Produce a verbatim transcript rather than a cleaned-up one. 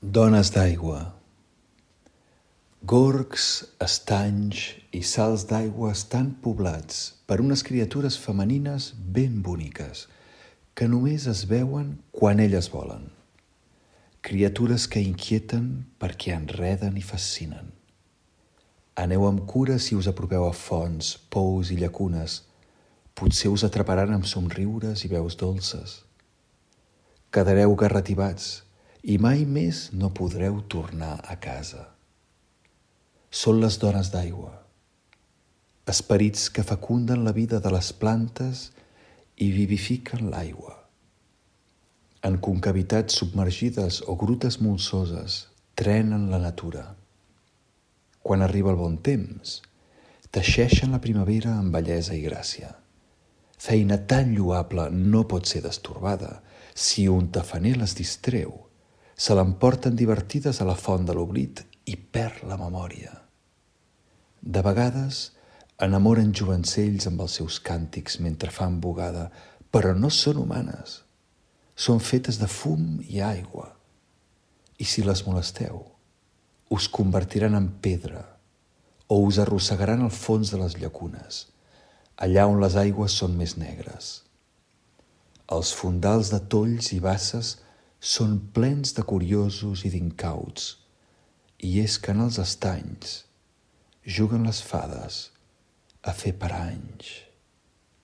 Dones d'aigua. Gorgs, estanys i salts d'aigua estan poblats per unes criatures femenines ben boniques que només es veuen quan elles volen. Criatures que inquieten perquè enreden i fascinen. Aneu amb cura si us apropeu a fonts, pous i llacunes. Potser us atraparan amb somriures i veus dolces. Quedareu garratibats i mai més no podreu tornar a casa. Són les dones d'aigua, esperits que fecunden la vida de les plantes i vivifiquen l'aigua. En concavitats submergides o grutes molsoses trenen la natura. Quan arriba el bon temps, teixeixen la primavera amb bellesa i gràcia. Feina tan lloable no pot ser destorbada. Si un tafaner les distreu, se l'emporten divertides a la font de l'oblit i perd la memòria. De vegades enamoren jovencells amb els seus càntics mentre fan bugada, però no són humanes. Són fetes de fum i aigua. I si les molesteu, us convertiran en pedra o us arrossegaran al fons de les llacunes, allà on les aigües són més negres. Els fondals de tolls i basses són plens de curiosos i d'incauts, i és que en els estanys juguen les fades a fer paranys.